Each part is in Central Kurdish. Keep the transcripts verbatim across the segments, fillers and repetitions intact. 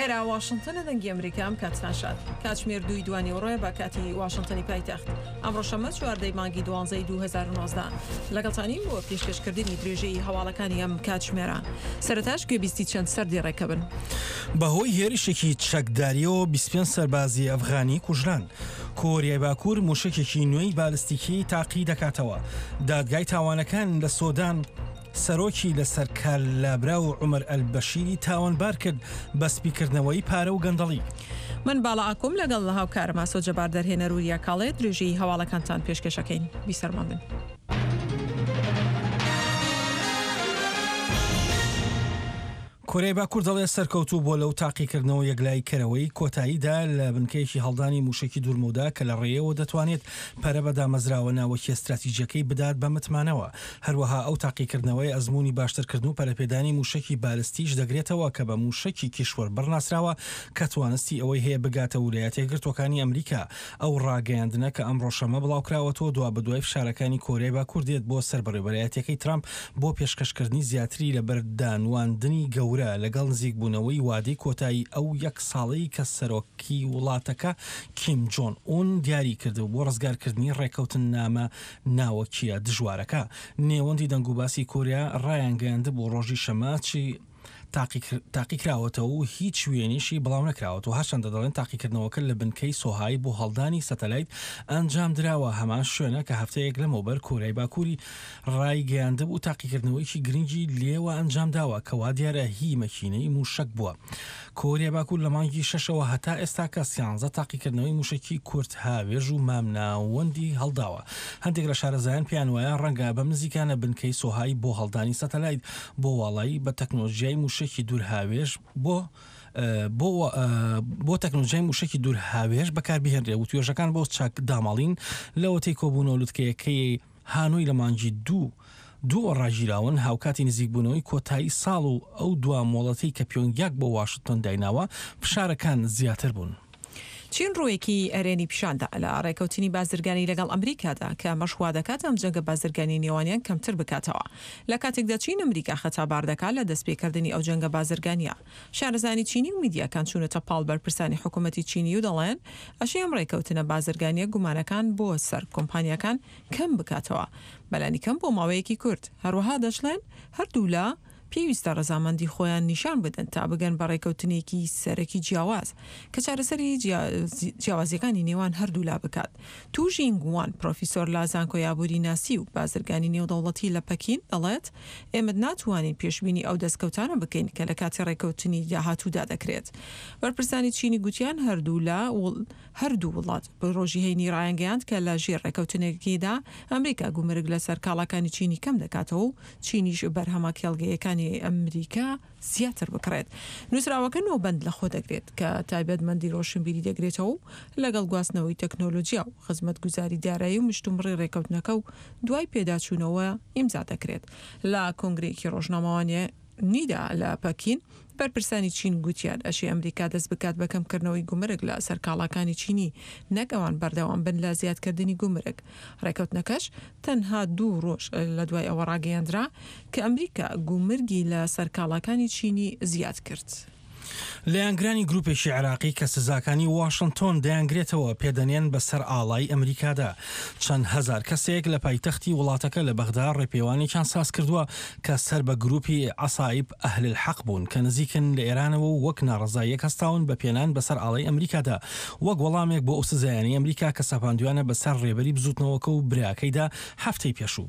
ئێرە واشنتنە، دەنگی ئەمریکا. ئەم کاتتان شاد. کاتژمێر دووی دوانیوەڕۆیە بە کاتی واشنتنی پایتەخت. ئەمڕۆ شەممە چواردەی مانگی دوانزەی دوو هەزار و نۆزدە. لەگەڵتانین بۆ پێشکەشکردنی درێژەی هەواڵەکانی ئەم کاتژمێرە. سەرەتاش گوێبیستی چەند سەردێڕێکە بن. بەهۆی هێرشێکی چەکداریەوە بیست و پێنج سەربازی ئەفغانی کوژران. کۆریای باکوور موشەکێکی نوێی بالستیکی تاقی دەکاتەوە. دادگای تاوانەکان لە سۆدان سەرۆکی لەسەر کار لابرا و عومەر ئەلبەشیری تاوانبار کرد بە سپیکردنەوەی پارە و گەندەڵی. من باڵا ئاکۆم لەگەڵ هاوکارم ئاسۆ جەبار دەرهێنەر وریا کاڵێ درێژەی هەواڵەکانتان پێشکەشەکەین. بیسەرمان بن. کۆریای باکوور دەڵێ سەرکەوتوو بۆ لەو تاقیکردنەوە یەکلایی کەرەوەی کۆتاییدا لە بنکەیەکی هەڵدانی موشەکی دوورمەودا کە لە ڕێیەوە دەتوانێت پەرە بە دامەزراوە ناوەکیە استراتیژیەکەی بدات بە متمانەوە. هەروەها ئەو تاقیکردنەوەی ئەزمموی باشترکردن و پەرەپێدانی موشەکی بالستیش دەگرێتەوە کە بە موشەکی کیشوەر بڕناسراوە کە توانستی ئەوەی هەیە بگاتە ویلایەتە یەکگرتووەکانی ئەمریکا. ئەو ڕاگەیاندنە کە ئەمڕۆ شەممە بڵاوکراوەتەوە دوا بەدوای فشارەکانی کۆریای باکوور دێت بۆ سەر بەڕێوەبەرایەتیەکەی ترامپ بۆ پێشکەشکردنی زیاتری لەبەردانواندنی گەورە لەگەڵ نزیکبوونەوەی وادەی کۆتایی ئەو یەک ساڵەی کە سەرۆکی وڵاتەکە کیم جۆن ئون دیاری کرد بۆ ڕزگارکردنی ڕێکەوتننامە ناوەکیە دژوارەکە. نێوەندی دەنگوباسی کۆریا ڕایانگەیاند بۆ ڕۆژی شەممە چی تاقیکراوەتەوە و هیچ وێنیشی بڵاو نەکراوەتەوە. هەرچەندە دەڵێن تاقیکردنەوەکە لە بنکەی سۆهای بۆ هەڵدانی سەتەلایت ئەنجام دراوە، هەمان شوێنە کە هەفتەیەک لەمەوبەر کۆریای باکووری ڕایگەیاندبوو تاقیکردنەوەیکی گرنگی لێوە ئەنجام داوە کە وا دیارە هی مەکینەی موشەک بووە. کۆریای باکوور لە مانگی شەشەوە هەتا ئێستا کە سیانزە تاقیکردنەوەی موشەکی کورت هاوێژ و مامناوەندی هەڵداوە. هەندێک لە شارەزایان پێیان وایە ڕەنگە بەم نزیکانە بنکەی سۆهای بۆ هەڵدانی سەتەلایت بۆ واڵایی بە تەکنۆلۆژیای موشەکی دوورهاوێژ بۆ بۆ بۆ تەکنۆلۆژیای موشەکی دوورهاوێژ بەکاربهێنرێ و توێژەکان بۆ چاک داماڵین لەوەتەی کۆبوونەوە لوتکەیەکەی هانۆی لە مانگی دوو دوو ڕاگیراون. هاوکاتی نزیکبوونەوەی کۆتایی ساڵ و ئەو دوا مۆڵەتەی کە پیۆنگیاک بۆ واشنتۆن دایناوە فشارەکان زیاتر بوون. چین ڕوویەکی ئەرێنی پیشاندا لە ڕێکەوتنی بازرگانی لەگەڵ ئەمریکادا کە ئەمەش وا دەکات ئەم جەنگە بازرگانی نێوانیان کەمتر بکاتەوە. لە کاتێکدا چین ئەمریکا خەتابار دەکات لە دەستپێکردنی ئەو جەنگە بازرگانیە. شارەزانی چینی و میدیاکان چوونەتە پاڵ بەرپرسانی حکوومەتی چینی و دەڵێن ئەشێ ئەم ڕێکەوتنە بازرگانیە گومانەکان بۆ سەر کۆمپانیاکان کەم بکاتەوە، بەلانی کەم بۆ ماوەیەکی کورت. هەروەها دەشڵێن هەردوولا پێویستە ڕەزامەندی خۆیان نیشان بدەن تا بگەن بە ڕێکەوتنێکی سەرەکی جیاواز کە چارەسەری جیاوازیەکانی نێوان هەردوولا بکات. توژینگ وان پرۆفیسۆر لە زانکۆی ئابووری ناسی و بازرگانی نێودەوڵەتی لە پەکین دەڵێت ئێمە ناتوانین پێشبینی ئەو دەستکەوتانە بکەین کە لە کاتی ڕێکەوتنی داهاتوودا دەکرێت. بەرپرسانی چینی گوتیان هەردوولا هەردوو وڵات بە ڕۆژی هەینی ڕایانگەیاند کە لە ژێر ڕێکەوتنێکیدا ئەمریکا گومرگ لەسەر کاڵاکانی چینی کەم دەکاتەوە و چینیش بەرهەمە کێڵگەیەکانی ئەمریکا زیاتر بکڕێت. نووسراوەکە نۆبەند لە خۆ دەگرێت کە تایبەتمەندی ڕۆشنبیری دەگرێتەوە و لەگەڵ گواستنەوەی تەکنۆلۆژیا و خزمەتگوزاری دارایی و مشتومڕی ڕێکەوتنەکە و دوای پێداچوونەوە ئیمزا دەکرێت. لە کۆنگرەیەکی ڕۆژنامەوانی نیدا لە پەکین بەرپرسانی چین گوتیان ئەشی ئەمریکا دەست بکات بە کەمکردنەوەی گومرگ لە سەر کاڵاکانی چینی، نەک ئەوان بەردەوام بن لە زیادکردنی گومرگ. ڕێکەوتنەکەش تەنها دوو ڕۆژ لە دوای ئەوە ڕاگەیەندرا کە ئەمریکا گومرگی لە سەر کاڵاکانی چینی زیاد کرد. لایەنگرانی گروپێکی عێراقی کە سزاکانی واشنتۆن دەیانگرێتەوە پێدەنێن بەسەر ئاڵای ئەمریکادا. چەند هەزار کەسێک لە پایتەختی وڵاتەکە لە بەغدا ڕێپێوانێکیان ساز کردووە کە سەر بە گروپی عەسائیب ئەهل الحەق بوون کە نزیکن لە ئێرانەوە و وەک ناڕەزاییەک هەستاون بە پێنان بەسەر ئاڵای ئەمریکادا وەک وەڵامێک بۆ ئەو سزایانەی ئەمریکا کە سەپاندویانە بەسەر ڕێبەری بزوتنەوەکە و براکەیدا هەفتەی پێشوو.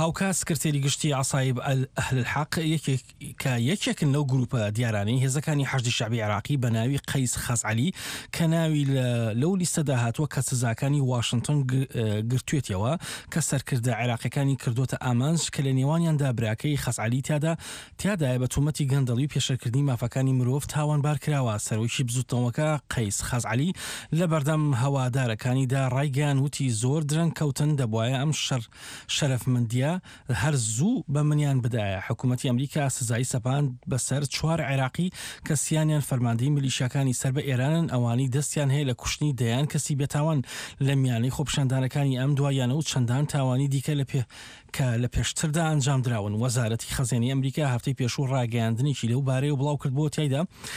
هاوکات سکرتێری گشتی عەسائیب ئەهل الحەق یەکێک کە یەکێکن لەو گروپە دیارانەی هێزەکانی حەشدی شەعبی عێراقی بە ناوی قەیس خەزعەلی کە ناوی لەو لیستەدا هاتووە کە سزاکانی واشنتۆن گرتوێتەوە کە سەرکردە عێراقیەکانی کردوتە ئامانج کە لە نێوانیاندا براکەی خەزعەلی تیادا تیادایە بە تۆمەتی گەندەڵی و پێشەکردنی مافەکانی مرۆڤ تاوانبار کراوە. سەرۆکی بزوتنەوەکە قەیس خەزعەلی لە بەردەم هەوادارەکانیدا ڕایگەیان وتی زۆر درەنگ کەوتن، دەبوایە ئەم شەر شەرەفمەندیە هەر زوو بە منیان بدایە. حکوومەتی ئەمریکا سزای سەپاند بەسەر چوار عێراقی کە سیانیان فەرماندەی میلیشیاکانی سەر بە ئێرانن، ئەوانەی دەستیان هەیە لە کوشتنی دەیان کەسی بێتاوان لە میانەی خۆپیشاندانەکانی ئەم دواییانە و چەندان تاوانی دیکە لە پێ کە لە پێشتردا ئەنجام دراون. وەزارەتی خەزێنەی ئەمریکا هەفتەی پێشوو ڕاگەیاندنێکی لەو بارەیەوە بڵاو کردبووە تیایدا